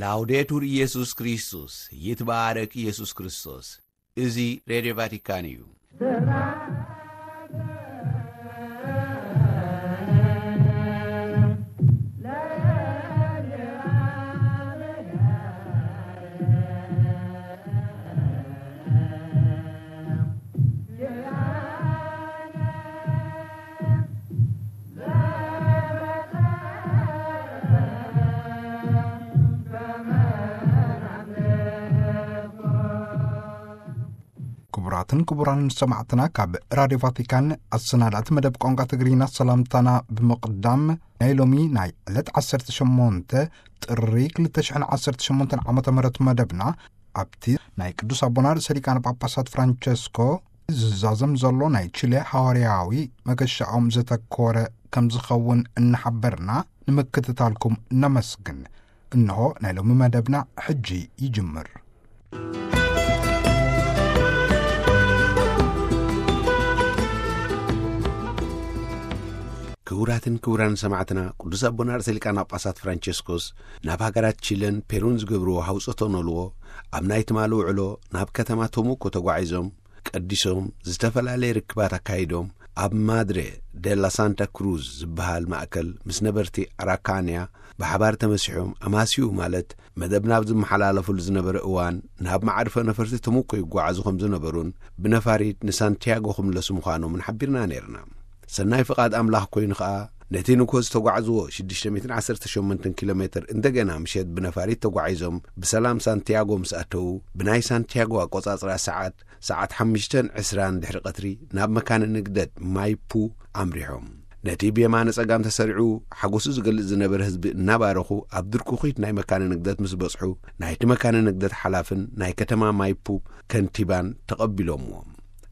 ላውዴቱር ኢየሱስ ክርስቶስ፣ ይትባረክ ኢየሱስ ክርስቶስ። እዚ ሬድዮ ቫቲካን እዩ። ክቡራትን ክቡራንን ሰማዕትና፣ ካብ ራድዮ ቫቲካን ኣሰናዳእቲ መደብ ቋንቋ ትግርኛ ሰላምታና ብምቕዳም፣ ናይ ሎሚ ናይ ዕለት ዓሰርተ ሸሞንተ ጥሪ ክልተ ሽሕን ዓሰርተ ሸሞንተን ዓመተ ምህረት መደብና ኣብቲ ናይ ቅዱስ ኣቦና ርእሰ ሊቃነ ጳጳሳት ፍራንቸስኮ ዝዛዘም ዘሎ ናይ ቺሌ ሃዋርያዊ መገሻኦም ዘተኮረ ከም ዝኸውን እናሓበርና፣ ንምክትታልኩም ነመስግን። እንሆ ናይ ሎሚ መደብና ሕጂ ይጅምር። ክቡራትን ክቡራን ሰማዕትና፣ ቅዱስ ኣቦና ርእሰ ሊቃነ ጳጳሳት ፍራንቸስኮስ ናብ ሃገራት ቺለን ፔሩን ዝገብርዎ ሃውጾቶ ነልዎ፣ ኣብ ናይ ትማሊ ውዕሎ ናብ ከተማ ቶሙኮ ተጓዒዞም፣ ቀዲሶም፣ ዝተፈላለየ ርክባት ኣካይዶም፣ ኣብ ማድሬ ደላ ሳንታ ክሩዝ ዝበሃል ማእከል ምስ ነበርቲ ኣራካንያ ብሓባር ተመሲሖም፣ ኣማስዩ ማለት መደብ ናብ ዝመሓላለፉሉ ዝነበረ እዋን፣ ናብ መዓርፎ ነፈርቲ ተሙኮ ይጓዓዙ ከም ዝነበሩን፣ ብነፋሪት ንሳንቲያጎ ክምለሱ ምዃኖምን ሓቢርና ነይርና። ሰናይ ፍቓድ ኣምላኽ ኮይኑ ኸኣ፣ ነቲ ንግሆ ዝተጓዕዝዎ ሽዱሽተ ሚእትን ዓሰርተ ሸሞንተን ኪሎ ሜትር እንደገና ምሸት ብነፋሪት ተጓዒዞም ብሰላም ሳንቲያጎ ምስ ኣተዉ፣ ብናይ ሳንቲያጎ ኣቆጻጽራ ሰዓት፣ ሰዓት ሓሙሽተን ዕስራን ድሕሪ ቀትሪ ናብ መካነ ንግደት ማይፑ ኣምሪሖም። ነቲ ብየማነ ጸጋም ተሰሪዑ ሓጎሱ ዝገልጽ ዝነበረ ህዝቢ እናባረኹ፣ ኣብ ድርኩኺት ናይ መካነ ንግደት ምስ በጽሑ፣ ናይቲ መካነ ንግደት ሓላፍን ናይ ከተማ ማይፑ ከንቲባን ተቐቢሎምዎም።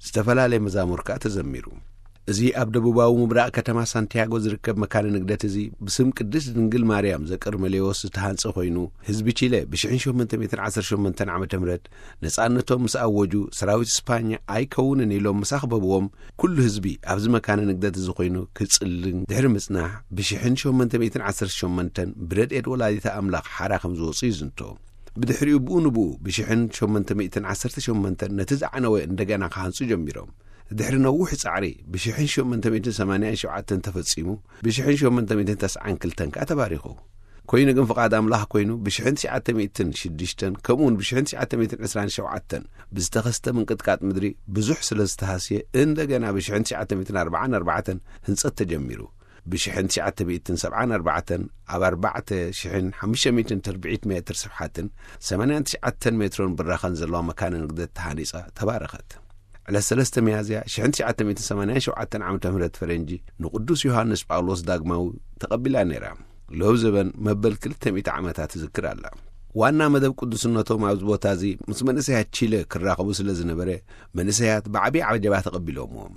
ዝተፈላለየ መዛሙር ከኣ ተዘሚሩ። እዚ ኣብ ደቡባዊ ምብራቕ ከተማ ሳንቲያጎ ዝርከብ መካነ ንግደት እዚ፣ ብስም ቅድስት ድንግል ማርያም ዘቀርመሌዎስ ዝተሃንጸ ኮይኑ፣ ህዝቢ ቺለ ብሽሕን ሸሞንተ ሚእትን ዓሰርተ ሸሞንተን ዓመተ ምህረት ነጻነቶም ምስ ኣወጁ፣ ሰራዊት ስፓኛ ኣይከውንን ኢሎም ምስ ኣኽበብዎም፣ ኩሉ ህዝቢ ኣብዚ መካነ ንግደት እዚ ኮይኑ ክጽልን ድሕሪ ምጽናሕ፣ ብሽሕን ሸሞንተ ሚእትን ዓሰርተ ሸሞንተን ብረድኤት ወላዲተ ኣምላኽ ሓራ ከም ዝወጹ ይዝንቶ። ብድሕሪኡ ብኡ ንብኡ ብሽሕን ሸሞንተ ሚእትን ዓሰርተ ሸሞንተን ነቲ ዝዓነወ እንደገና ክሃንጹ ጀሚሮም። ድሕሪ ነዊሕ ጻዕሪ ብሽሕን ሸሞንተ ሚእትን ሰማንያን ሸውዓተን ተፈጺሙ፣ ብሽሕን ሸሞንተ ሚእትን ተስዓን ክልተን ከኣ ተባሪኹ። ኮይኑ ግን ፍቓድ ኣምላኽ ኮይኑ፣ ብሽሕን ትሽዓተ ሚእትን ሽዱሽተን ከምኡውን ብሽሕን ትሽዓተ ሚእትን ዕስራን ሸውዓተን ብዝተኸስተ ምንቅጥቃጥ ምድሪ ብዙሕ ስለ ዝተሃስየ፣ እንደገና ብሽሕን ትሽዓተ ሚእትን ኣርባዓን ኣርባዕተን ህንጸት ተጀሚሩ። ብሽሕን ትሽዓተ ሚእትን ሰብዓን ኣርባዕተን ኣብ ኣርባዕተ ሽሕን ሓሙሽተ ሚእትን ተርብዒት ሜትር ስፍሓትን ሰማንያን ትሽዓተን ሜትሮን ብራኸን ዘለዋ መካነ ንግደት ተሃኒጻ ተባረኸት። ዕለት ሰለስተ ሚያዝያ ሽሕን ትሽዓተ ሚእትን ሰማንያን ሸውዓተን ዓመተ ምህረት ፈረንጂ ንቅዱስ ዮሃንስ ጳውሎስ ዳግማዊ ተቐቢላ ነይራ። ሎብ ዘበን መበል ክልተ ሚእቲ ዓመታት ትዝክር ኣላ። ዋና መደብ ቅዱስነቶም ኣብዚ ቦታ እዚ ምስ መንእሰያት ቺለ ክራኸቡ ስለ ዝነበረ፣ መንእሰያት ብዓብዪ ዓጀባ ተቐቢሎምዎም።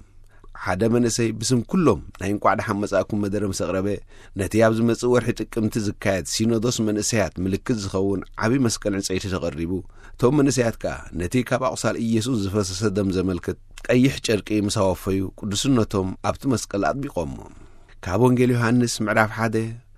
ሓደ መንእሰይ ብስም ኩሎም ናይ እንቋዕ ደሓን መጻእኩም መደረ ምስ ኣቕረበ፣ ነቲ ኣብ ዝመጽእ ወርሒ ጥቅምቲ ዝካየድ ሲኖዶስ መንእሰያት ምልክት ዝኸውን ዓቢ መስቀል ዕንጸይቲ ተቐሪቡ። እቶም መንእሰያት ከኣ ነቲ ካብ ኣቑሳል ኢየሱስ ዝፈሰሰ ደም ዘመልክት ቀይሕ ጨርቂ ምስ ኣወፈዩ፣ ቅዱስነቶም ኣብቲ መስቀል ኣጥቢቖሞ። ካብ ወንጌል ዮሃንስ ምዕራፍ ሓደ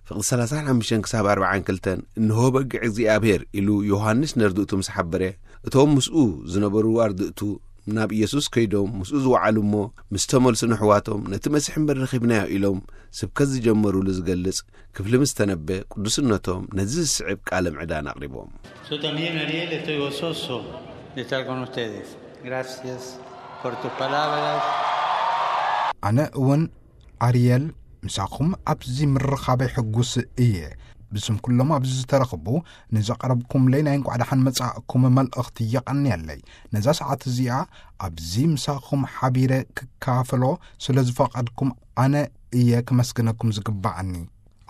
ፍቕዲ ሰላሳን ሓሙሽተን ክሳብ ኣርባዓን ክልተን፣ "እንሆ በጊዕ እግዚኣብሔር" ኢሉ ዮሃንስ ነርድእቱ ምስ ሓበረ፣ እቶም ምስኡ ዝነበሩ ኣርድእቱ ናብ ኢየሱስ ከይዶም ምስኡ ዝወዓሉ እሞ፣ ምስ ተመልሱ ንሕዋቶም፣ "ነቲ መሲሕ እምበር ረኺብናዮ" ኢሎም ስብከት ዝጀመሩሉ ዝገልጽ ክፍሊ ምስ ተነበ፣ ቅዱስነቶም ነዚ ዝስዕብ ቃለ ምዕዳን ኣቕሪቦም። Yo también, Ariel, estoy gozoso de estar con ustedes. Gracias por tus palabras. ኣነ እውን ኣርየል፣ ምሳኹም ኣብዚ ምርኻበይ ሕጉስ እየ። ብስም ኩሎም ኣብዚ ዝተረኽቡ ንዘቕረብኩምለይ ናይ እንቋዕ ደሓን መጻእኩም መልእኽቲ የቐንየለይ። ነዛ ሰዓት እዚኣ ኣብዚ ምሳኹም ሓቢረ ክካፈሎ ስለ ዝፈቐድኩም ኣነ እየ ክመስግነኩም ዝግባኣኒ።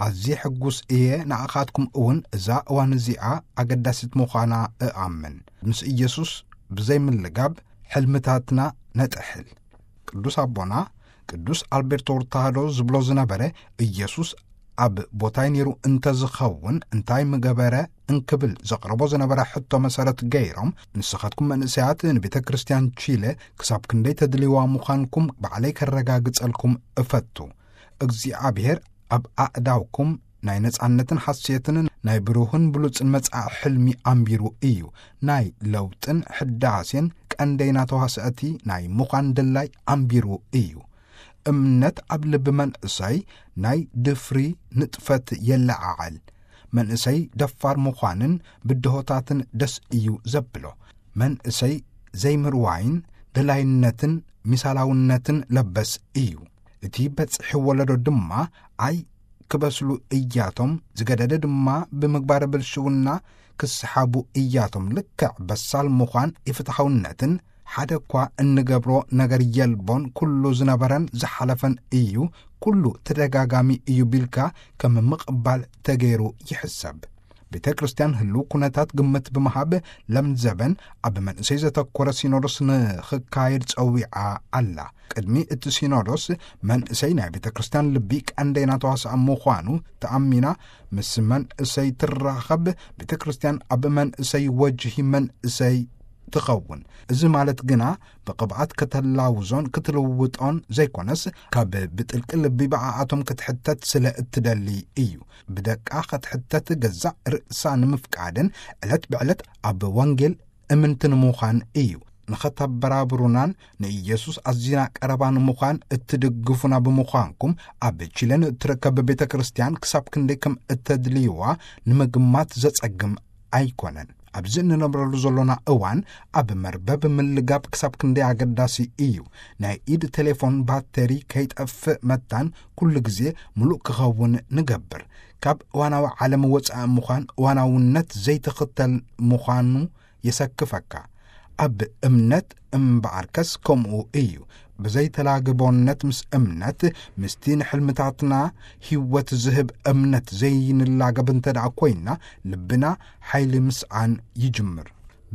ኣዝየ ሕጉስ እየ። ንኣኻትኩም እውን እዛ እዋን እዚኣ ኣገዳሲት ምዃና እኣምን። ምስ ኢየሱስ ብዘይ ምልጋብ ሕልምታትና ነጥሕል። ቅዱስ ኣቦና ቅዱስ ኣልቤርቶ ሩታህዶ ዝብሎ ዝነበረ፣ ኢየሱስ ኣብ ቦታይ ነይሩ እንተዝኸውን እንታይ ምገበረ እንክብል ዘቕረቦ ዝነበረ ሕቶ መሰረት ገይሮም፣ ንስኻትኩም መንእሰያት ንቤተ ክርስቲያን ቺለ ክሳብ ክንደይ ተድልይዋ ምዃንኩም ባዕለይ ከረጋግጸልኩም እፈቱ። እግዚኣብሔር ኣብ ኣእዳውኩም ናይ ነጻነትን ሓሴትን ናይ ብሩህን ብሉጽን መጻኢ ሕልሚ ኣንቢሩ እዩ። ናይ ለውጥን ሕዳሴን ቀንደይና ተዋስእቲ ናይ ምዃን ድላይ ኣንቢሩ እዩ። እምነት ኣብ ልቢ መንእሰይ ናይ ድፍሪ ንጥፈት የለዓዕል። መንእሰይ ደፋር ምዃንን ብድሆታትን ደስ እዩ ዘብሎ። መንእሰይ ዘይምርዋይን ደላይነትን ሚሳላውነትን ለበስ እዩ። እቲ በጽሒ ወለዶ ድማ ኣይ ክበስሉ እያቶም፣ ዝገደደ ድማ ብምግባረ ብልሽውና ክስሓቡ እያቶም። ልክዕ በሳል ምዃን ኢፍትሓውነትን ሓደ እኳ እንገብሮ ነገር የልቦን፣ ኩሉ ዝነበረን ዝሓለፈን እዩ፣ ኩሉ ተደጋጋሚ እዩ ቢልካ ከም ምቕባል ተገይሩ ይሕሰብ። ቤተ ክርስቲያን ህልው ኩነታት ግምት ብምሃብ ለምዘበን ኣብ መንእሰይ ዘተኮረ ሲኖዶስ ንኽካየድ ጸዊዓ ኣላ። ቅድሚ እቲ ሲኖዶስ መንእሰይ ናይ ቤተ ክርስቲያን ልቢ ቀንደይና ተዋሳእ ምዃኑ ተኣሚና ምስ መንእሰይ ትራኸብ። ቤተ ክርስቲያን ኣብ መንእሰይ ወጅሂ መንእሰይ ትኸውን። እዚ ማለት ግና ብቕብኣት ከተላውዞን ክትልውጦን ዘይኮነስ ካብ ብጥልቂ ልቢ ብኣኣቶም ክትሕተት ስለ እትደሊ እዩ። ብደቃ ክትሕተት ገዛእ ርእሳ ንምፍቃድን ዕለት ብዕለት ኣብ ወንጌል እምንቲ ንምዃን እዩ። ንኸተበራብሩናን ንኢየሱስ ኣዚና ቀረባ ንምዃን እትድግፉና ብምዃንኩም ኣብ ቺለ ንእትርከብ ቤተ ክርስቲያን ክሳብ ክንደይ ከም እተድልይዋ ንምግማት ዘጸግም ኣይኮነን። ኣብዚ እንነብረሉ ዘሎና እዋን ኣብ መርበብ ምልጋብ ክሳብ ክንደይ ኣገዳሲ እዩ። ናይ ኢድ ቴሌፎን ባተሪ ከይጠፍእ መታን ኩሉ ግዜ ምሉእ ክኸውን ንገብር። ካብ እዋናዊ ዓለም ወጻኢ ምዃን እዋናውነት ዘይትኽተል ምዃኑ የሰክፈካ። ኣብ እምነት እምበኣርከስ ከምኡ እዩ። ብዘይተላግቦነት ምስ እምነት፣ ምስቲ ንሕልምታትና ህይወት ዝህብ እምነት ዘይንላገብ እንተ ደኣ ኮይንና፣ ልብና ሓይሊ ምስኣን ይጅምር።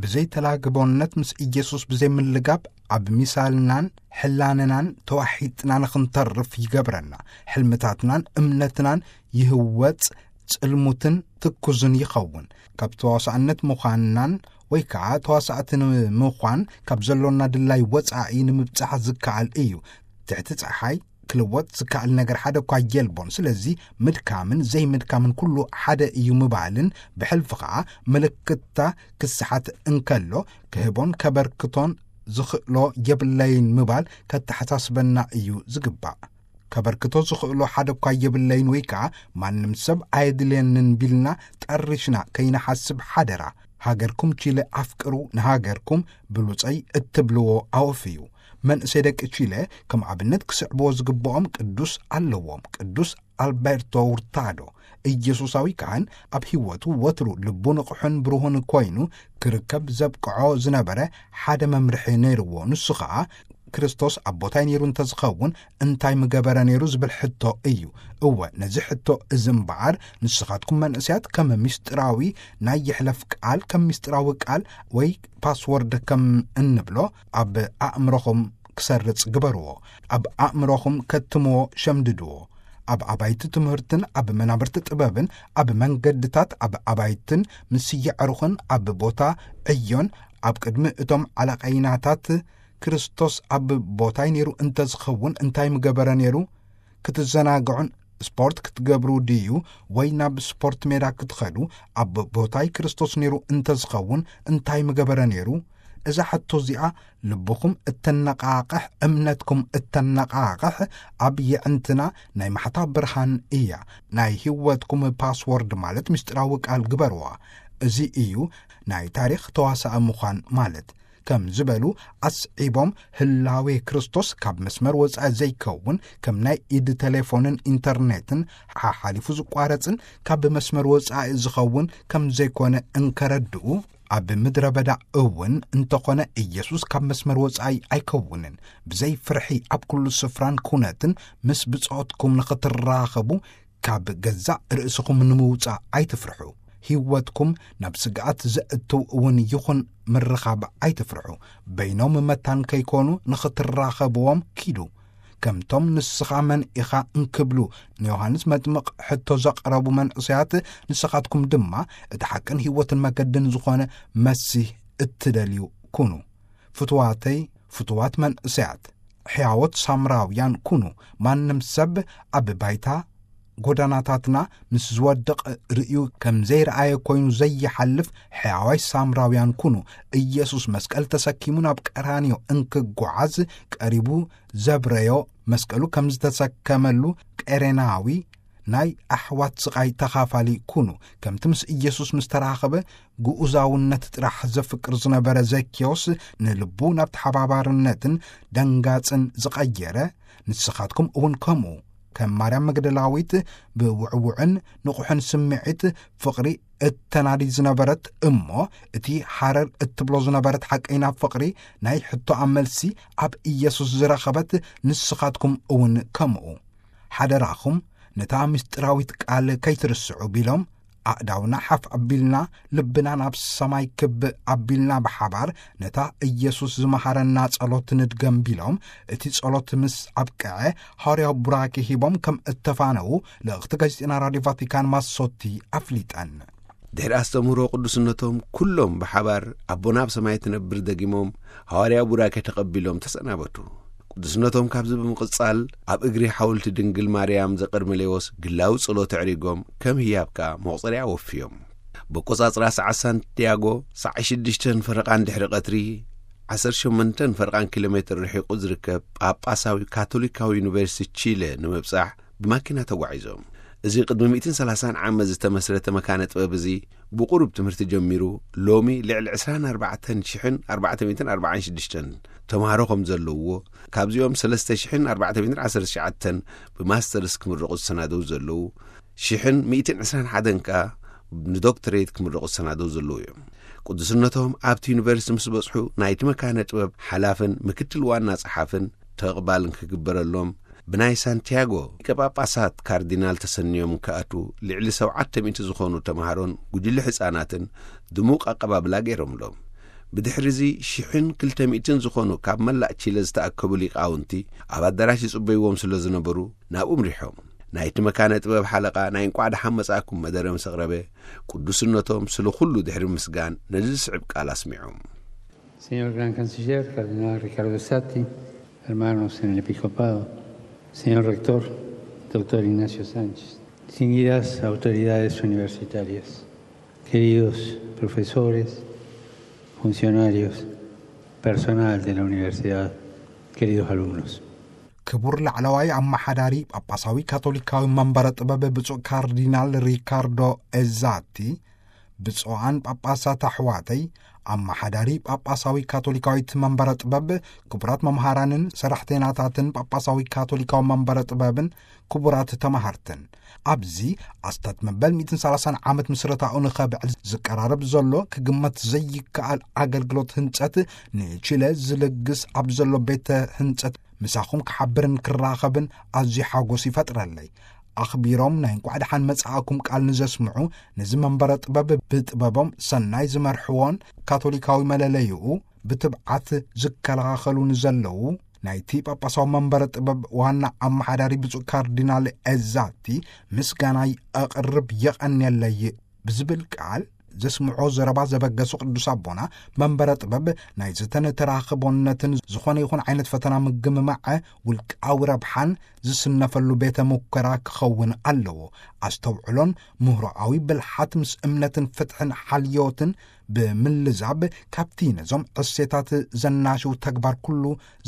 ብዘይተላግቦነት ምስ ኢየሱስ ብዘይምልጋብ፣ ኣብ ሚሳልናን ሕላነናን ተዋሒጥና ንኽንተርፍ ይገብረና። ሕልምታትናን እምነትናን ይህወጽ፣ ጽልሙትን ትኩዝን ይኸውን። ካብ ተዋሳእነት ምዃንናን ወይ ከኣ ተዋሳእቲ ንምዃን ካብ ዘሎና ድላይ ወጻኢ ንምብጻሕ ዝከኣል እዩ። ትሕቲ ጸሓይ ክልወጥ ዝከኣል ነገር ሓደ እኳ የልቦን። ስለዚ ምድካምን ዘይምድካምን ኩሉ ሓደ እዩ ምባልን ብሕልፊ ከኣ ምልክታ ክስሓት እንከሎ ክህቦን ከበርክቶን ዝኽእሎ የብለይን ምባል ከተሓሳስበና እዩ ዝግባእ። ከበርክቶ ዝኽእሎ ሓደ እኳ የብለይን ወይ ከኣ ማንም ሰብ ኣየድልየንን ቢልና ጠሪሽና ከይንሓስብ ሓደራ። ሃገርኩም ቺለ ኣፍቅሩ፣ ንሃገርኩም ብሉጸይ እትብልዎ ኣወፍዩ። መንእሰይ ደቂ ቺለ ከም ኣብነት ክስዕብዎ ዝግብኦም ቅዱስ ኣለዎም። ቅዱስ ኣልበርቶ ውርታዶ፣ ኢየሱሳዊ ካህን፣ ኣብ ህይወቱ ወትሩ ልቡ ንቑሕን ብሩህን ኮይኑ ክርከብ ዘብቅዖ ዝነበረ ሓደ መምርሒ ነይርዎ። ንሱ ኸኣ ክርስቶስ ኣብ ቦታይ ነይሩ እንተዝኸውን እንታይ ምገበረ ነይሩ ዝብል ሕቶ እዩ። እወ፣ ነዚ ሕቶ እዚ እምበኣር ንስኻትኩም መንእሰያት ከም ምስጢራዊ ናይ ይሕለፍ ቃል፣ ከም ምስጢራዊ ቃል ወይ ፓስወርድ ከም እንብሎ ኣብ ኣእምሮኹም ክሰርጽ ግበርዎ። ኣብ ኣእምሮኹም ከትምዎ ሸምድድዎ። ኣብ ኣባይቲ ትምህርትን ኣብ መናብርቲ ጥበብን ኣብ መንገድታት ኣብ ኣባይትን ምስ የዕሩኽን ኣብ ቦታ ዕዮን ኣብ ቅድሚ እቶም ዓለቐይናታት ክርስቶስ ኣብ ቦታይ ነይሩ እንተዝኸውን እንታይ ምገበረ ነይሩ? ክትዘናግዑን ስፖርት ክትገብሩ ድዩ? ወይ ናብ ስፖርት ሜዳ ክትኸዱ ኣብ ቦታይ ክርስቶስ ነይሩ እንተዝኸውን እንታይ ምገበረ ነይሩ? እዛ ሕቶ እዚኣ ልብኹም እተነቓቕሕ፣ እምነትኩም እተነቓቕሕ ኣብ የዕንትና ናይ ማሕታ ብርሃን እያ። ናይ ህይወትኩም ፓስወርድ ማለት ምስጢራዊ ቃል ግበርዋ። እዚ እዩ ናይ ታሪኽ ተዋሳኢ ምዃን ማለት። ከም ዝበሉ ኣስዒቦም ህላዌ ክርስቶስ ካብ መስመር ወጻኢ ዘይከውን ከም ናይ ኢድ ቴሌፎንን ኢንተርኔትን ሓሓሊፉ ዝቋረጽን ካብ መስመር ወጻኢ ዝኸውን ከም ዘይኮነ እንከረድኡ፣ ኣብ ምድረ በዳ እውን እንተኾነ ኢየሱስ ካብ መስመር ወጻኢ ኣይከውንን። ብዘይ ፍርሒ ኣብ ኩሉ ስፍራን ኩነትን ምስ ብጾትኩም ንኽትራኸቡ ካብ ገዛእ ርእስኹም ንምውጻእ ኣይትፍርሑ። ህይወትኩም ናብ ስግኣት ዘእትው እውን ይኹን ምርኻብ ኣይትፍርሑ። በይኖም መታን ከይኮኑ ንኽትራኸብዎም ኪዱ። ከምቶም ንስኻ መን ኢኻ እንክብሉ ንዮሃንስ መጥምቕ ሕቶ ዘቕረቡ መንእሰያት፣ ንስኻትኩም ድማ እቲ ሓቅን ህይወትን መገድን ዝኾነ መሲህ እትደልዩ ኩኑ። ፍቱዋተይ፣ ፍቱዋት መንእሰያት፣ ሕያዎት ሳምራውያን ኩኑ። ማንም ሰብ ኣብ ባይታ ጎዳናታትና ምስ ዝወድቕ ርእዩ ከም ዘይረኣየ ኮይኑ ዘይሓልፍ ሕያዋይ ሳምራውያን ኩኑ። ኢየሱስ መስቀል ተሰኪሙ ናብ ቀራንዮ እንክጓዓዝ ቀሪቡ ዘብረዮ፣ መስቀሉ ከም ዝተሰከመሉ ቀሬናዊ ናይ ኣሕዋት ስቓይ ተኻፋሊ ኩኑ። ከምቲ ምስ ኢየሱስ ምስ ተራኸበ ግኡዛውነት ጥራሕ ዘፍቅር ዝነበረ ዘኪዮስ፣ ንልቡ ናብ ተሓባባርነትን ደንጋጽን ዝቐየረ፣ ንስኻትኩም እውን ከምኡ ከም ማርያም መግደላዊት ብውዕውዕን ንቑሕን ስምዒት ፍቕሪ እተናዲ ዝነበረት እሞ፣ እቲ ሃረር እትብሎ ዝነበረት ሓቀይና ፍቕሪ ናይ ሕቶኣ መልሲ ኣብ ኢየሱስ ዝረኸበት፣ ንስኻትኩም እውን ከምኡ። ሓደራኹም ነታ ምስጢራዊት ቃል ከይትርስዑ ቢሎም፣ ኣእዳውና ሓፍ ኣቢልና፣ ልብና ናብ ሰማይ ክብ ኣቢልና፣ ብሓባር ነታ ኢየሱስ ዝመሃረና ጸሎት ንድገም ቢሎም፣ እቲ ጸሎት ምስ ኣብቅዐ፣ ሃዋርያዊ ቡራኬ ሂቦም ከም እተፋነዉ ልእኽቲ ጋዜጠና ራድዮ ቫቲካን ማሶቲ ኣፍሊጠን። ድሕሪ ኣስተምህሮ ቅዱስነቶም፣ ኩሎም ብሓባር ኣቦና ኣብ ሰማይ ትነብር ደጊሞም ሃዋርያዊ ቡራኬ ተቐቢሎም ተሰናበቱ። ቅዱስነቶም ካብዚ ብምቕጻል፣ ኣብ እግሪ ሓወልቲ ድንግል ማርያም ዘቀርሜሌዎስ ግላዊ ጸሎት ኣዕሪጎም፣ ከም ህያብ ከኣ መቑጸርያ ኣወፍዮም። በቆጻጽራ ሰዓት ሳንቲያጎ ሰዓት ሽዱሽተን ፈረቓን ድሕሪ ቀትሪ ዓሰርተ ሸሞንተን ፈረቓን ኪሎ ሜትር ርሒቑ ዝርከብ ጳጳሳዊ ካቶሊካዊ ዩኒቨርሲቲ ቺለ ንምብጻሕ ብማኪና ተጓዒዞም። እዚ ቅድሚ ሚእትን ሰላሳን ዓመት ዝተመስረተ መካነ ጥበብ እዚ ብቑሩብ ትምህርቲ ጀሚሩ፣ ሎሚ ልዕሊ ዕስራን ኣርባዕተን ሽሕን ኣርባዕተ ሚእትን ኣርባዓን ሽዱሽተን ተምሃሮ ከም ዘለውዎ፣ ካብዚኦም ሰለስተ ሽሕን ኣርባዕተ ሚእትን ዓሰርተ ትሽዓተን ብማስተርስ ክምረቑ ዝሰናደው ዘለዉ፣ ሽሕን ሚእትን ዕስራን ሓደን ከኣ ንዶክትሬት ክምረቑ ዝሰናደው ዘለዉ እዮም። ቅዱስነቶም ኣብቲ ዩኒቨርሲቲ ምስ በጽሑ፣ ናይቲ መካነ ጥበብ ሓላፍን ምክትል ዋና ጸሓፍን ተቕባል ክግበረሎም፣ ብናይ ሳንቲያጎ ሊቀ ጳጳሳት ካርዲናል ተሰንዮም ክኣትዉ፣ ልዕሊ ሰብዓተ ሚእቲ ዝኾኑ ተምሃሮን ጉጅለ ህጻናትን ድሙቕ ኣቀባብላ ገይሮምሎም። ብድሕሪ እዚ፣ ሽሕን ክልተ ሚእትን ዝኾኑ ካብ መላእ ቺለ ዝተኣከቡ ሊቃውንቲ ኣብ ኣዳራሽ ይጽበይዎም ስለ ዝነበሩ፣ ናብኡ ኣምሪሖም። ናይቲ መካነ ጥበብ ሓለቓ ናይ እንቋዕ ደሓን መጻእኩም መደረ ምስ ኣቕረበ፣ ቅዱስነቶም ስለ ኩሉ ድሕሪ ምስጋን ነዚ ዝስዕብ ቃል ኣስሚዖም። Señor Gran Canciller, Cardenal Ricardo Sati, hermanos en el Episcopado, señor Rector, doctor Ignacio Sánchez, distinguidas autoridades universitarias, queridos profesores, funcionarios, personal de la universidad, queridos alumnos. ክቡር ላዕለዋይ ኣመሓዳሪ ጳጳሳዊ ካቶሊካዊ መንበረ ጥበብ ብፁዕ ካርዲናል ሪካርዶ ኤዛቲ፣ ብፁዓን ጳጳሳት ኣሕዋተይ፣ ኣመሓዳሪ ጳጳሳዊ ካቶሊካዊት መንበረ ጥበብ፣ ክቡራት መምሃራንን ሰራሕተይናታትን ጳጳሳዊ ካቶሊካዊ መንበረ ጥበብን፣ ክቡራት ተማሃርትን፣ ኣብዚ ኣስታት መበል ሚእትን ሰላሳን ዓመት ምስረታኡ ንኸብዕል ዝቀራረብ ዘሎ ክግመት ዘይከኣል ኣገልግሎት ህንጸት፣ ንቺለ ዝልግስ ኣብ ዘሎ ቤተ ህንጸት ምሳኹም ክሓብርን ክራኸብን ኣዝዩ ሓጎስ ይፈጥረለይ። ኣኽቢሮም ናይ እንቋዕ ደሓን መጻእኩም ቃል ንዘስምዑ፣ ነዚ መንበረ ጥበብ ብጥበቦም ሰናይ ዝመርሕዎን ካቶሊካዊ መለለይኡ ብትብዓት ዝከላኸሉ ንዘለዉ፣ ናይቲ ጳጳሳዊ መንበረ ጥበብ ዋና ኣመሓዳሪ ብፁዕ ካርዲናል ኤዛቲ ምስጋናይ ኣቕርብ፣ የቐንየለይ ብዝብል ቃል ዘስምዖ ዘረባ ዘበገሱ ቅዱስ ኣቦና፣ መንበረ ጥበብ ናይ ዘተን ተራኽቦነትን ዝኾነ ይኹን ዓይነት ፈተና ምግምማዐ ውልቃዊ ረብሓን ዝስነፈሉ ቤተ ሙከራ ክኸውን ኣለዎ። ኣስተውዕሎን ምህሮኣዊ ብልሓት ምስ እምነትን ፍትሕን ሓልዮትን ብምልዛብ፣ ካብቲ ነዞም ዕሴታት ዘናሽው ተግባር ኩሉ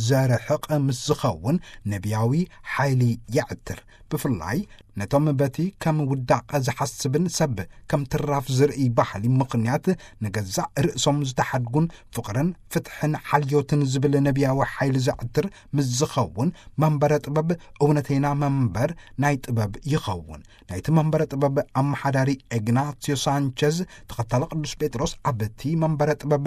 ዘርሕቕ ምስ ዝኸውን ነቢያዊ ሓይሊ የዕትር። ብፍላይ ነቶም በቲ ከም ውዳቐ ዝሓስብን ሰብ ከም ትራፍ ዝርኢ ባህሊ ምኽንያት ንገዛእ ርእሶም ዝተሓድጉን ፍቕርን ፍትሕን ሓልዮትን ዝብል ነቢያዊ ሓይሊ ዘዕትር ምስ ዝኸውን፣ መንበረ ጥበብ እውነተይና መንበር ናይ ጥበብ ይኸውን። ናይቲ መንበረ ጥበብ ኣመሓዳሪ ኤግናሲዮ ሳንቸዝ፣ ተኸታሊ ቅዱስ ጴጥሮስ ኣብቲ መንበረ ጥበብ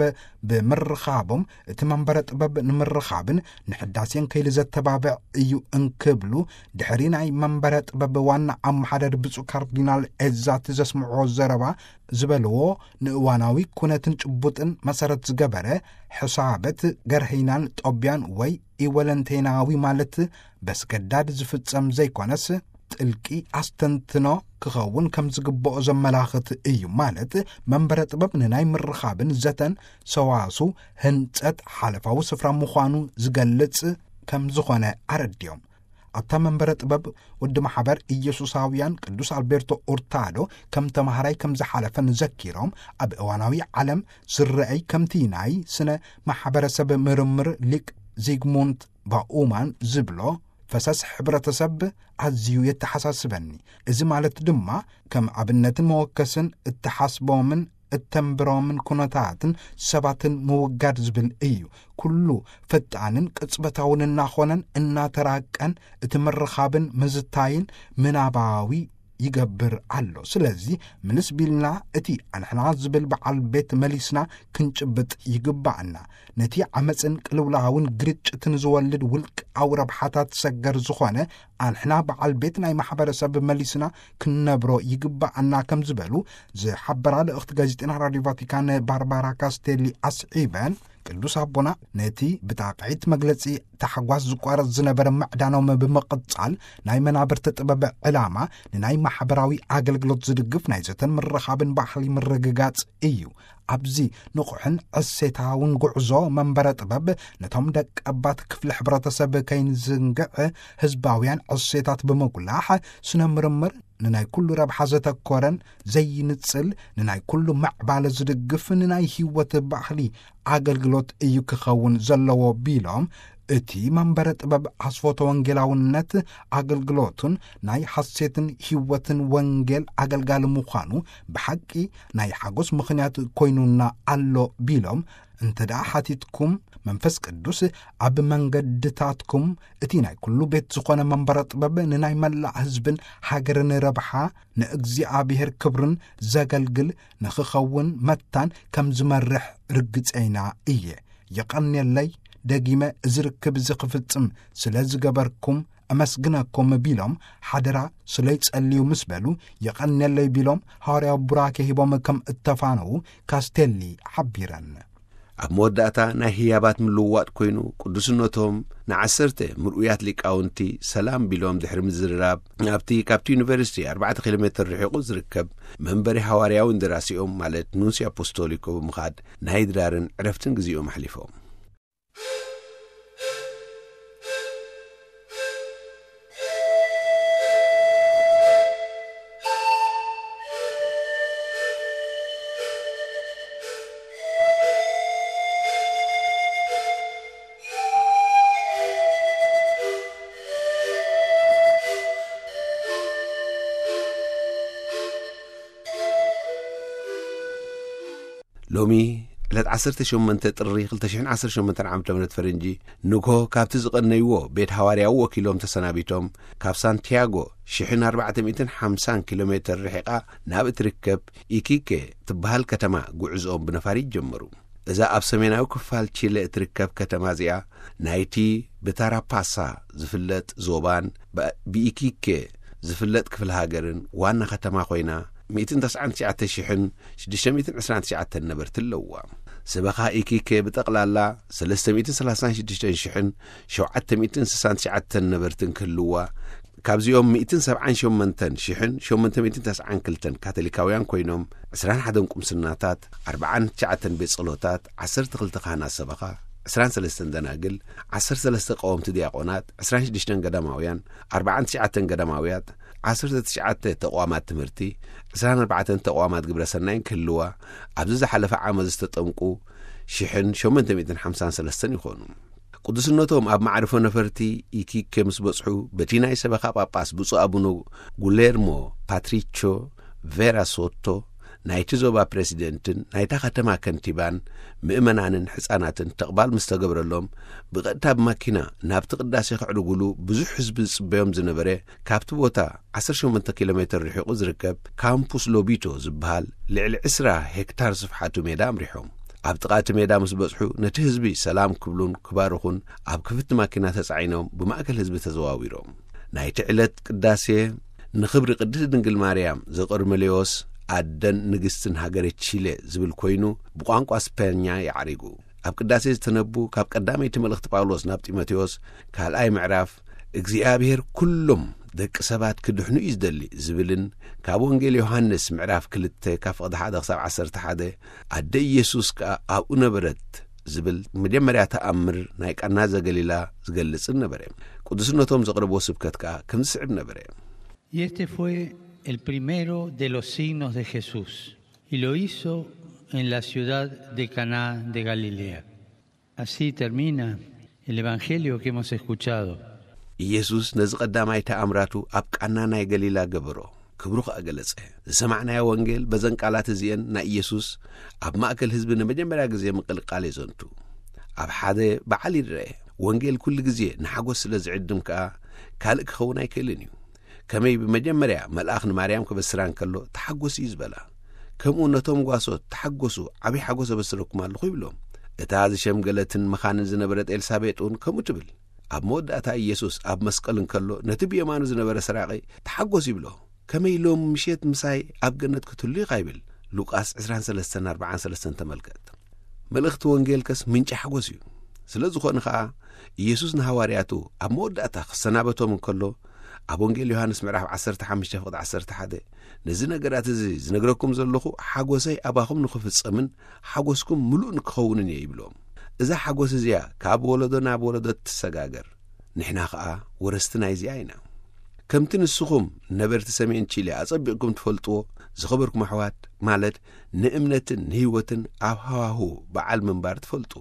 ብምርኻቦም፣ እቲ መንበረ ጥበብ ንምርኻብን ንሕዳሴን ከይሊ ዘተባብዕ እዩ እንክብሉ፣ ድሕሪ ናይ መንበረ ጥበብ ዋና ኣመሓዳሪ ብፁዕ ካርዲናል ኤዛቲ ዘስምዕዎ ዘረባ ዝበልዎ፣ ንእዋናዊ ኩነትን ጭቡጥን መሰረት ዝገበረ ሕሳበት ገርህይናን ጦቢያን ወይ ኢወለንቴናዊ ማለት በስገዳድ ዝፍጸም ዘይኮነስ፣ ጥልቂ ኣስተንትኖ ክኸውን ከም ዝግብኦ ዘመላኽት እዩ። ማለት መንበረ ጥበብ ንናይ ምርኻብን ዘተን ሰዋሱ ህንጸት ሓለፋዊ ስፍራ ምዃኑ ዝገልጽ ከም ዝኾነ ኣረድዮም። ኣብታ መንበረ ጥበብ ወዲ ማሕበር ኢየሱሳውያን ቅዱስ ኣልቤርቶ ኡርታዶ ከም ተማሃራይ ከም ዝሓለፈን ዘኪሮም፣ ኣብ እዋናዊ ዓለም ዝረአይ ከምቲ ናይ ስነ ማሕበረሰብ ምርምር ሊቅ ዚግሙንት ባኡማን ዝብሎ፣ ፈሰስ ሕብረተሰብ ኣዝዩ የተሓሳስበኒ። እዚ ማለት ድማ ከም ኣብነትን መወከስን እተሓስቦምን እተንብሮምን ኩነታትን ሰባትን ምውጋድ ዝብል እዩ። ኩሉ ፈጣንን ቅጽበታውን እናኾነን እናተራቀን እቲ ምርኻብን ምዝታይን ምናባዊ ይገብር ኣሎ። ስለዚ ምልስ ቢልና እቲ ኣንሕና ዝብል በዓል ቤት መሊስና ክንጭብጥ ይግባኣና። ነቲ ዓመፅን ቅልውላውን ግርጭትን ዝወልድ ውልቃዊ ረብሓታት ሰገር ዝኾነ ኣንሕና በዓል ቤት ናይ ማሕበረሰብ መሊስና ክንነብሮ ይግባኣና ከም ዝበሉ ዝሓበራ ልእኽቲ ጋዜጠና ራዲዮ ቫቲካን ባርባራ ካስቴሊ ኣስዒበን፣ ቅዱስ ኣቦና ነቲ ብጣቕዒት መግለጺ ታሕጓስ ዝቋረጽ ዝነበረ ምዕዳኖም ብምቕጻል፣ ናይ መናብርቲ ጥበብ ዕላማ ንናይ ማሕበራዊ ኣገልግሎት ዝድግፍ ናይ ዘተን ምርኻብን ባህሊ ምርግጋጽ እዩ። ኣብዚ ንቑሕን ዕሴታውን ጉዕዞ መንበረ ጥበብ ነቶም ደቀባት ክፍሊ ሕብረተሰብ ከይንዝንግዕ፣ ህዝባውያን ዕሴታት ብምጉላሕ፣ ስነ ምርምር ንናይ ኩሉ ረብሓ ዘተኮረን ዘይንጽል፣ ንናይ ኩሉ ምዕባለ ዝድግፍ፣ ንናይ ህይወት ባህሊ ኣገልግሎት እዩ ክኸውን ዘለዎ ቢሎም፣ እቲ መንበረ ጥበብ ኣስፎተ ወንጌላውነት ኣገልግሎቱን ናይ ሓሴትን ህይወትን ወንጌል ኣገልጋሊ ምዃኑ ብሓቂ ናይ ሓጎስ ምኽንያት ኮይኑና ኣሎ ቢሎም፣ እንተ ደኣ ሓቲትኩም፣ መንፈስ ቅዱስ ኣብ መንገድታትኩም፣ እቲ ናይ ኩሉ ቤት ዝኾነ መንበረ ጥበብ ንናይ መላእ ህዝብን ሃገርን ረብሓ፣ ንእግዚኣብሔር ክብርን ዘገልግል ንኽኸውን መታን ከም ዝመርሕ ርግጸይና እየ። የቐንየለይ፣ ደጊመ እዚ ርክብ እዚ ክፍጽም ስለ ዝገበርኩም እመስግነኩም ቢሎም፣ ሓደራ ስለ ይጸልዩ ምስ በሉ፣ የቐንየለይ ቢሎም፣ ሃዋርያዊ ቡራኬ ሂቦም ከም እተፋነዉ ካስቴሊ ሓቢረን። ኣብ መወዳእታ ናይ ህያባት ምልውዋጥ ኮይኑ፣ ቅዱስነቶም ንዓሰርተ ምርኡያት ሊቃውንቲ ሰላም ቢሎም ድሕሪ ምዝርራብ፣ ኣብቲ ካብቲ ዩኒቨርሲቲ ኣርባዕተ ኪሎ ሜትር ርሒቑ ዝርከብ መንበሪ ሃዋርያዊ እንደራሲኦም፣ ማለት ኑንሲ ኣፖስቶሊኮ ብምኻድ ናይ ድራርን ዕረፍትን ግዜኦም ኣሕሊፎም። ሎሚ ዕለት ዓሰርተ ሸሞንተ ጥሪ ክልተ ሽሕን ዓሰርተ ሸሞንተን ዓመተ ምህረት ፈረንጂ፣ ንግሆ ካብቲ ዝቐነይዎ ቤት ሃዋርያዊ ወኪሎም ተሰናቢቶም፣ ካብ ሳንቲያጎ ሽሕን ኣርባዕተ ሚእትን ሓምሳን ኪሎ ሜትር ርሒቓ ናብ እትርከብ ኢኪኬ ትበሃል ከተማ ጉዕዝኦም ብነፋሪት ጀመሩ። እዛ ኣብ ሰሜናዊ ክፋል ቺለ እትርከብ ከተማ እዚኣ፣ ናይቲ ብታራፓሳ ዝፍለጥ ዞባን ብ-፣ ብኢኪኬ ዝፍለጥ ክፍለ ሃገርን ዋና ከተማ ኮይና፣ ሚእትን ተስዓን ትሽዓተ ሽሕን ሽዱሽተ ሚእትን ዕስራን ትሽዓተን ነበርቲ ኣለዋ። ሰበኻ ኢኪኬ ብጠቕላላ ሰለስተ ሚእትን ሰላሳን ሽዱሽተን ሽሕን ሸውዓተ ሚእትን ስሳን ትሽዓተን ነበርትን ክህልዋ፣ ካብዚኦም ሚእትን ሰብዓን ሸሞንተን ሽሕን ሸሞንተ ሚእትን ተስዓን ክልተን ካቶሊካውያን ኮይኖም፣ ዕስራን ሓደን ቁምስናታት፣ ኣርባዓን ትሽዓተን ቤት ጸሎታት፣ ዓሰርተ ክልተ ካህናት ሰበኻ፣ ዕስራን ሰለስተን ደናግል፣ ዓሰርተ ሰለስተ ቀወምቲ ዲያቆናት፣ ዕስራን ሽዱሽተን ገዳማውያን፣ ኣርባዓን ትሽዓተን ገዳማውያት፣ ዓሰርተ ትሽዓተ ተቋማት ትምህርቲ፣ ዕስራን ኣርባዕተን ተቋማት ግብረ ሰናይን ክህልዋ፣ ኣብዚ ዝሓለፈ ዓመት ዝተጠምቁ ሽሕን ሸሞንተ ሚእትን ሓምሳን ሰለስተን ይኾኑ። ቅዱስነቶም ኣብ መዓርፎ ነፈርቲ ኢኪኬ ምስ በጽሑ፣ በቲ ናይ ሰበኻ ጳጳስ ብፁዕ ኣቡነ ጉሌርሞ ፓትሪቾ ቬራ ሶቶ፣ ናይቲ ዞባ ፕሬዚደንትን ናይታ ከተማ ከንቲባን፣ ምእመናንን ሕጻናትን ተቕባል ምስ ተገብረሎም፣ ብቐጥታ ብማኪና ናብቲ ቅዳሴ ክዕርጉሉ ብዙሕ ህዝቢ ዝጽበዮም ዝነበረ፣ ካብቲ ቦታ ዓሰርተ ሸሞንተ ኪሎ ሜትር ርሒቑ ዝርከብ ካምፑስ ሎቢቶ ዝበሃል ልዕሊ ዕስራ ሄክታር ስፍሓቱ ሜዳ ኣምሪሖም። ኣብ ጥቓ እቲ ሜዳ ምስ በጽሑ፣ ነቲ ህዝቢ ሰላም ክብሉን ክባርኹን ኣብ ክፍቲ ማኪና ተጻዒኖም ብማእከል ህዝቢ ተዘዋዊሮም። ናይቲ ዕለት ቅዳሴ ንኽብሪ ቅድስቲ ድንግል ማርያም ዘቆርመሌዎስ ኣደን ንግስትን ሃገረ ቺለ ዝብል ኮይኑ፣ ብቋንቋ ስፐኛ ይዓሪጉ። ኣብ ቅዳሴ ዝተነቡ ካብ ቀዳመይቲ መልእኽቲ ጳውሎስ ናብ ጢሞቴዎስ ካልኣይ ምዕራፍ፣ እግዚኣብሔር ኩሎም ደቂ ሰባት ክድሕኑ እዩ ዝደሊ ዝብልን፣ ካብ ወንጌል ዮሃንስ ምዕራፍ ክልተ ካብ ፍቕዲ ሓደ ክሳብ ዓሰርተ ሓደ፣ ኣደ ኢየሱስ ከኣ ኣብኡ ነበረት ዝብል መጀመርያ ተኣምር ናይ ቃና ዘገሊላ ዝገልጽን ነበረ። ቅዱስነቶም ዘቕረብዎ ስብከት ከኣ ከም ዝስዕብ ነበረ። Y este fue el primero de los signos de Jesús, y lo hizo en la ciudad de Caná de Galilea. Así termina el evangelio que hemos escuchado. ኢየሱስ ነዚ ቀዳማይ ተኣምራቱ ኣብ ቃና ናይ ገሊላ ገበሮ፣ ክብሩ ከኣ ገለጸ። ዝሰማዕናዮ ወንጌል በዘን ቃላት እዚኤን ናይ ኢየሱስ ኣብ ማእከል ህዝቢ ንመጀመርያ ግዜ ምቕልቃል የዘንቱ። ኣብ ሓደ በዓል ይረአ። ወንጌል ኩሉ ግዜ ንሓጎስ ስለ ዝዕድም ከኣ ካልእ ክኸውን ኣይክእልን እዩ። ከመይ ብመጀመርያ መልኣኽ ንማርያም ክበስራ እንከሎ ተሓጎስ እዩ ዝበላ፣ ከምኡ ነቶም ጓሶት ተሓጎሱ፣ ዓብዪ ሓጎስ ኣበስረኩም ኣለኹ ይብሎም። እታ ዝሸምገለትን መኻንን ዝነበረት ኤልሳቤጥ እውን ከምኡ ትብል። ኣብ መወዳእታ ኢየሱስ ኣብ መስቀል እንከሎ ነቲ ብየማኑ ዝነበረ ሰራቒ ተሓጎስ ይብሎ። ከመይ ሎም ምሸት ምሳይ ኣብ ገነት ክትህሉ ኢኻ ይብል። ሉቃስ ዕስራን ሰለስተን ኣርባዓን ሰለስተን ተመልከት። መልእኽቲ ወንጌል ከስ ምንጪ ሓጎስ እዩ። ስለ ዝኾነ ኸኣ ኢየሱስ ንሃዋርያቱ ኣብ መወዳእታ ክሰናበቶም እንከሎ ኣብ ወንጌል ዮሃንስ ምዕራፍ ዓሰርተ ሓሙሽተ ፍቕዲ ዓሰርተ ሓደ፣ ነዚ ነገራት እዚ ዝነግረኩም ዘለኹ ሓጎሰይ ኣባኹም ንኽፍጸምን ሓጎስኩም ምሉእ ንክኸውንን እየ ይብሎም። እዛ ሓጎስ እዚኣ ካብ ወለዶ ናብ ወለዶ ትሰጋገር። ንሕና ኸኣ ወረስቲ ናይዚኣ ኢና። ከምቲ ንስኹም ነበርቲ ሰሜን ቺሊ ኣጸቢቕኩም ትፈልጥዎ፣ ዝኸበርኩም ኣሕዋት፣ ማለት ንእምነትን ንህይወትን ኣብ ሃዋሁ በዓል ምንባር ትፈልጡ፣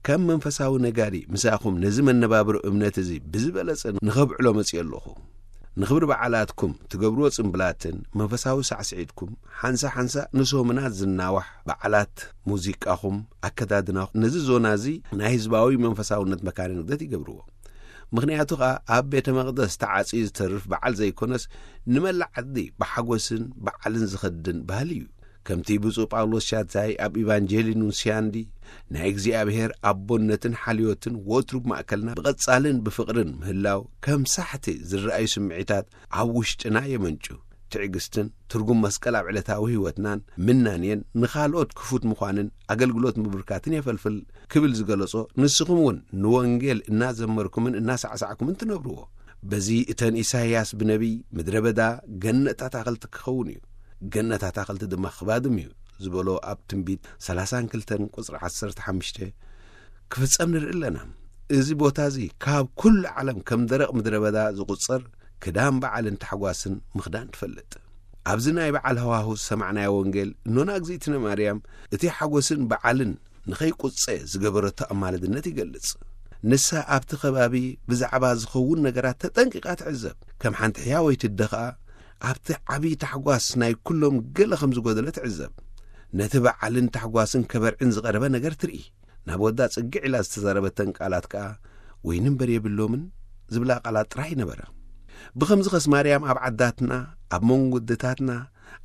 ከም መንፈሳዊ ነጋዲ ምሳኹም ነዚ መነባብሮ እምነት እዚ ብዝበለጸ ንኸብዕሎ መጺኦ ኣለኹ። ንኽብሪ በዓላትኩም ትገብርዎ ጽምብላትን መንፈሳዊ ሳዕስዒትኩም ሓንሳ ሓንሳ ንሶምናት ዝናዋሕ በዓላት ሙዚቃኹም፣ ኣከዳድናኹም ነዚ ዞና እዚ ናይ ህዝባዊ መንፈሳውነት መካነ ንግደት ይገብርዎ። ምኽንያቱ ኸኣ ኣብ ቤተ መቕደስ ተዓጽዩ ዝተርፍ በዓል ዘይኮነስ ንመላእ ዓዲ ብሓጎስን በዓልን ዝኸድን ባህሊ እዩ። ከምቲ ብፁዕ ጳውሎስ ሻታይ ኣብ ኢቫንጀሊ ኑንስያንዲ ናይ እግዚኣብሔር ኣቦነትን ሓልዮትን ወትሩ ብማእከልና ብቐጻልን ብፍቕርን ምህላው ከም ሳሕቲ ዝረኣዩ ስምዒታት ኣብ ውሽጥና የመንጩ። ትዕግስትን ትርጉም መስቀል ኣብ ዕለታዊ ህይወትናን ምናንየን ንኻልኦት ክፉት ምዃንን ኣገልግሎት ምብርካትን የፈልፍል ክብል ዝገለጾ፣ ንስኹም እውን ንወንጌል እናዘመርኩምን እናሳዕሳዕኩምን ትነብርዎ። በዚ እተን ኢሳይያስ ብነቢይ ምድረ በዳ ገነት ኣታኽልቲ ክኸውን እዩ፣ ገነት ኣታኽልቲ ድማ ክባድም እዩ ዝበሎ ኣብ ትንቢት ሰላሳን ክልተን ቁጽሪ ዓሰርተ ሓሙሽተ ክፍጸም ንርኢ ኣለና። እዚ ቦታ እዚ ካብ ኩሉ ዓለም ከም ደረቕ ምድረ በዳ ዝቑጸር ክዳን በዓልን ታሕጓስን ምኽዳን ትፈልጥ። ኣብዚ ናይ በዓል ሃዋሁ ዝሰማዕናዮ ወንጌል እኖና እግዚኣብእትነ ማርያም እቲ ሓጎስን በዓልን ንኸይቁጸ ዝገበረቶ ኣማልድነት ይገልጽ። ንሳ ኣብቲ ከባቢ ብዛዕባ ዝኸውን ነገራት ተጠንቂቓ ትዕዘብ። ከም ሓንቲ ሕያወይቲ ኣደ ኸኣ ኣብቲ ዓብዪ ታሕጓስ ናይ ኩሎም ገለ ከም ዝጎደለ ትዕዘብ። ነቲ በዓልን ታሕጓስን ከበርዕን ዝቐረበ ነገር ትርኢ። ናብ ወዳ ጽግዕ ኢላ ዝተዛረበተን ቃላት ከኣ ወይኒ እምበር የብሎምን ዝብላ ቃላት ጥራይ ነበረ። ብኸምዚ ኸስ ማርያም ኣብ ዓዳትና፣ ኣብ መንጎ ኣደታትና፣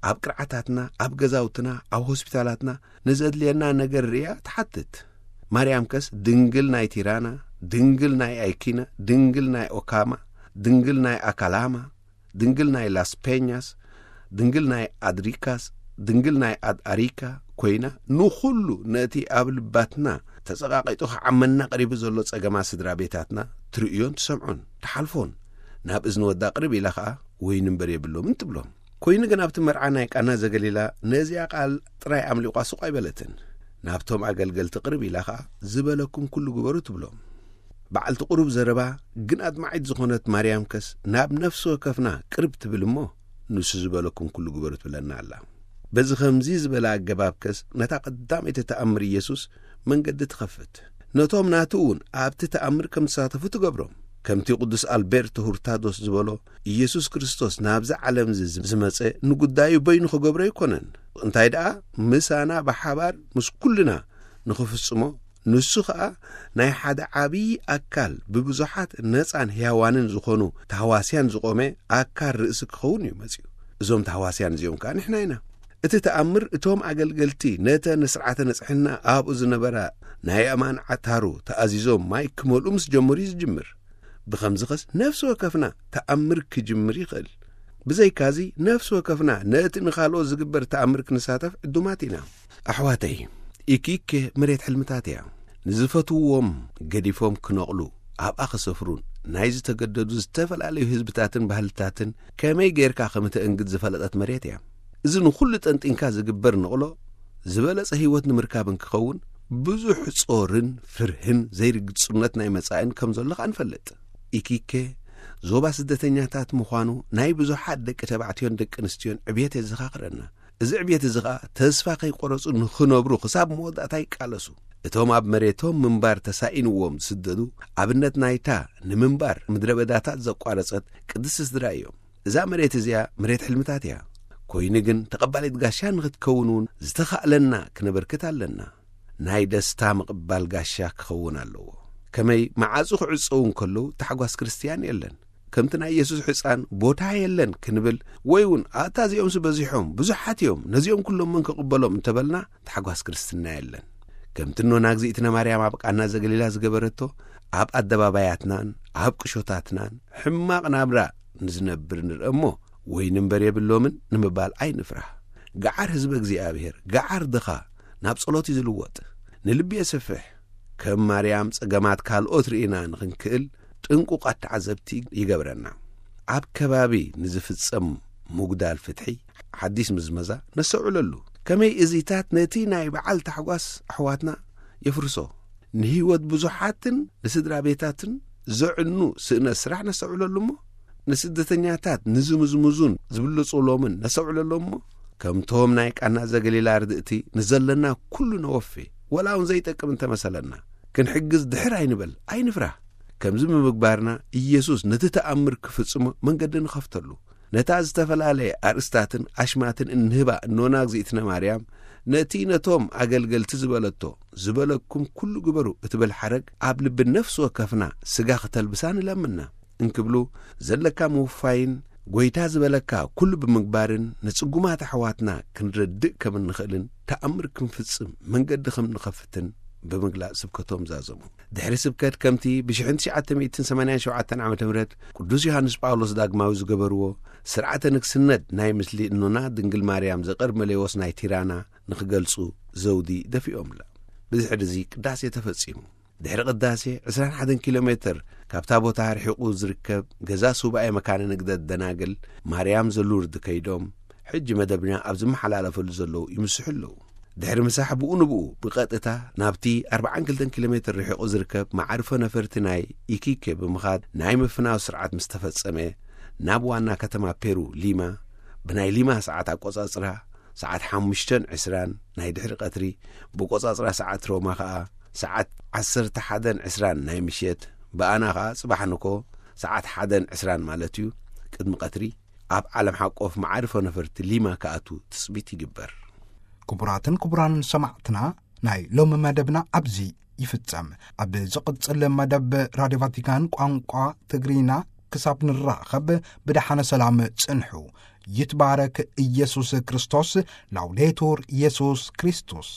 ኣብ ቅርዓታትና፣ ኣብ ገዛውትና፣ ኣብ ሆስፒታላትና ንዘድልየና ነገር ርእያ ትሓትት። ማርያም ከስ ድንግል ናይ ቲራና፣ ድንግል ናይ ኣይኪና፣ ድንግል ናይ ኦካማ፣ ድንግል ናይ ኣካላማ፣ ድንግል ናይ ላስ ፔኛስ፣ ድንግል ናይ ኣድሪካስ፣ ድንግል ናይ ኣድ ኣሪካ ኮይና ንኹሉ ነቲ ኣብ ልባትና ተጸቓቒጡ ክዓመና ቀሪቡ ዘሎ ጸገማት ስድራ ቤታትና ትርእዮን ትሰምዖን ትሓልፎን። ናብ እዝኒ ወዳ ቅርብ ኢላ ኸኣ ወይኒ እምበር የብሎምን ትብሎም። ኮይኑ ግን ኣብቲ መርዓ ናይ ቃና ዘገሊላ ነዚኣ ቃል ጥራይ ኣምሊቋ ሱቕ ኣይበለትን። ናብቶም ኣገልገልቲ ቅርብ ኢላ ኸኣ ዝበለኩም ኩሉ ግበሩ ትብሎም። በዓልቲ ቁሩብ ዘረባ ግን ኣድማዒት ዝኾነት ማርያም ከስ ናብ ነፍሲ ወከፍና ቅርብ ትብል እሞ ንሱ ዝበለኩም ኩሉ ግበሩ ትብለና ኣላ። በዚ ኸምዚ ዝበለ ኣገባብ ከስ ነታ ቀዳመይቲ ተኣምር ኢየሱስ መንገዲ ትኸፍት። ነቶም ናቱ እውን ኣብቲ ተኣምር ከም ዝሳተፉ ትገብሮም። ከምቲ ቅዱስ ኣልቤርቶ ሁርታዶስ ዝበሎ፣ ኢየሱስ ክርስቶስ ናብዚ ዓለም እዚ ዝመጸ ንጉዳዩ በይኑ ክገብሮ ኣይኮነን። እንታይ ደኣ ምሳና ብሓባር ምስ ኩልና ንኽፍጽሞ፣ ንሱ ኸኣ ናይ ሓደ ዓብዪ ኣካል ብብዙሓት ነጻን ሕያዋንን ዝኾኑ ተህዋስያን ዝቖመ ኣካል ርእሲ ክኸውን እዩ መጺኡ። እዞም ተህዋስያን እዚኦም ከኣ ንሕና ኢና። እቲ ተኣምር እቶም ኣገልገልቲ ነተ ንስርዓተ ንጽሕና ኣብኡ ዝነበራ ናይ ኣማን ዓታሩ ተኣዚዞም ማይ ክመልኡ ምስ ጀመሩ እዩ ዝጅምር። ብኸምዚ ኸስ ነፍሲ ወከፍና ተኣምር ክጅምር ይኽእል። ብዘይካዚ ነፍሲ ወከፍና ነቲ ንኻልኦ ዝግበር ተኣምር ክንሳተፍ ዕዱማት ኢና። ኣሕዋተይ፣ ኢኪኬ መሬት ሕልምታት እያ። ንዝፈትውዎም ገዲፎም ክነቕሉ ኣብኣ ክሰፍሩን ናይ ዝተገደዱ ዝተፈላለዩ ህዝብታትን ባህልታትን ከመይ ጌርካ ከም እተእንግድ ዝፈለጠት መሬት እያ። እዚ ንኹሉ ጠንጢንካ ዝግበር ንቕሎ ዝበለጸ ህይወት ንምርካብ እንክኸውን ብዙሕ ጾርን ፍርህን ዘይርግጽነት ናይ መጻእን ከም ዘሎ ከኣ ንፈልጥ። ኢኪኬ ዞባ ስደተኛታት ምዃኑ ናይ ብዙሓት ደቂ ተባዕትዮን ደቂ ኣንስትዮን ዕብየት የዘኻኽረና። እዚ ዕብየት እዚ ኸኣ ተስፋ ከይቆረጹ ንኽነብሩ ክሳብ መወዳእታ ይቃለሱ። እቶም ኣብ መሬቶም ምንባር ተሳኢንዎም ዝስደዱ ኣብነት ናይታ ንምንባር ምድረ በዳታት ዘቋረጸት ቅድስቲ ስድራ እዮም። እዛ መሬት እዚኣ መሬት ሕልምታት እያ። ኮይኑ ግን ተቐባሊት ጋሻ ንኽትከውን እውን ዝተኻእለና ክነበርክት ኣለና። ናይ ደስታ ምቕባል ጋሻ ክኸውን ኣለዎ። ከመይ መዓጹ ክዕጸው እንከለዉ ታሕጓስ ክርስትያን የለን። ከምቲ ናይ የሱስ ሕጻን ቦታ የለን ክንብል ወይ እውን ኣታ እዚኦምስ በዚሖም ብዙሓት እዮም ነዚኦም ኩሎም መን ክቕበሎም እንተበልና ታሕጓስ ክርስትና የለን። ከምቲ ኖና እግዚኣብትነ ማርያም ኣብ ቃና ዘገሊላ ዝገበረቶ ኣብ ኣደባባያትናን ኣብ ቅሾታትናን ሕማቕ ናብራ ንዝነብር ንርአ እሞ ወይ ንንበር የብሎምን ንምባል ኣይንፍራህ። ገዓር ህዝበ እግዚኣብሔር ገዓር ድኻ ናብ ጸሎት እዩ ዝልወጥ። ንልቢ የስፍሕ። ከም ማርያም ጸገማት ካልኦት ርኢና ንኽንክእል ጥንቁቓት ተዓዘብቲ ይገብረና። ኣብ ከባቢ ንዝፍጸም ምጉዳል ፍትሒ ሓዲስ ምዝመዛ ነስተውዕለሉ። ከመይ እዚታት ነቲ ናይ በዓል ታሕጓስ ኣሕዋትና የፍርሶ። ንህይወት ብዙሓትን ንስድራ ቤታትን ዘዕኑ ስእነት ስራሕ ነስተውዕለሉ እሞ ንስደተኛታት ንዝምዝምዙን ዝብልጹሎምን ነስተውዕለሎም እሞ ከምቶም ናይ ቃና ዘገሊላ ርድእቲ ንዘለና ኩሉ ነወፌ ወላ እውን ዘይጠቅም እንተመሰለና ክንሕግዝ ድሕር ኣይንበል ኣይንፍራህ። ከምዚ ብምግባርና ኢየሱስ ነቲ ተኣምር ክፍጽሞ መንገዲ ንኸፍተሉ ነታ ዝተፈላለየ ኣርእስታትን ኣሽማትን እንህባ እኖና እግዚኣብትነ ማርያም ነቲ ነቶም ኣገልገልቲ ዝበለቶ ዝበለኩም ኩሉ ግበሩ እትብል ሓረግ ኣብ ልቢ ነፍሲ ወከፍና ስጋ ክተልብሳ ንለምና እንክብሉ ዘለካ ምውፋይን ጎይታ ዝበለካ ኩሉ ብምግባርን ንጽጉማት ኣሕዋትና ክንረድእ ከም እንኽእልን ተኣምር ክንፍጽም መንገዲ ከም ንኸፍትን ብምግላጽ ስብከቶም ዛዘሙ። ድሕሪ ስብከት ከምቲ ብ1987 ዓ ም ቅዱስ ዮሃንስ ጳውሎስ ዳግማዊ ዝገበርዎ ስርዓተ ንግስነት ናይ ምስሊ እኖና ድንግል ማርያም ዘቐርመሌዎስ ናይ ቲራና ንኽገልጹ ዘውዲ ደፊኦምላ። ብድሕሪ እዚ ቅዳሴ ተፈጺሙ። ድሕሪ ቅዳሴ 21 ኪሎ ሜትር ካብታ ቦታ ርሒቑ ዝርከብ ገዛ ሱባኤ መካነ ንግደት ደናግል ማርያም ዘሉርድ ከይዶም ሕጂ መደብና ኣብ ዝመሓላለፈሉ ዘለዉ ይምስሑ ኣለዉ። ድሕሪ ምሳሕ ብኡ ንብኡ ብቐጥታ ናብቲ 42 ኪሎ ሜትር ርሒቑ ዝርከብ መዓርፎ ነፈርቲ ናይ ኢኪኬ ብምኻድ ናይ ምፍናው ስርዓት ምስ ተፈጸመ ናብ ዋና ከተማ ፔሩ ሊማ ብናይ ሊማ ሰዓት ኣቆጻጽራ ሰዓት ሓሙሽተን ዕስራን ናይ ድሕሪ ቀትሪ ብቆጻጽራ ሰዓት ሮማ ኸኣ ሰዓት ዓሰርተ ሓደን ዕስራን ናይ ምሸት ብኣና ኸኣ ጽባሕ ንኮ ሰዓት ሓደን ዕስራን ማለት እዩ ቅድሚ ቀትሪ ኣብ ዓለም ሓቆፍ መዓርፎ ነፈርቲ ሊማ ክኣቱ ትጽቢት ይግበር። ክቡራትን ክቡራን ሰማዕትና ናይ ሎሚ መደብና ኣብዚ ይፍጸም። ኣብ ዝቕጽል መደብ ራድዮ ቫቲካን ቋንቋ ትግርኛ ክሳብ ንራኸብ ብደሓነ ሰላም ጽንሑ። ይትባረክ ኢየሱስ ክርስቶስ። ላውዴቱር ኢየሱስ ክርስቶስ።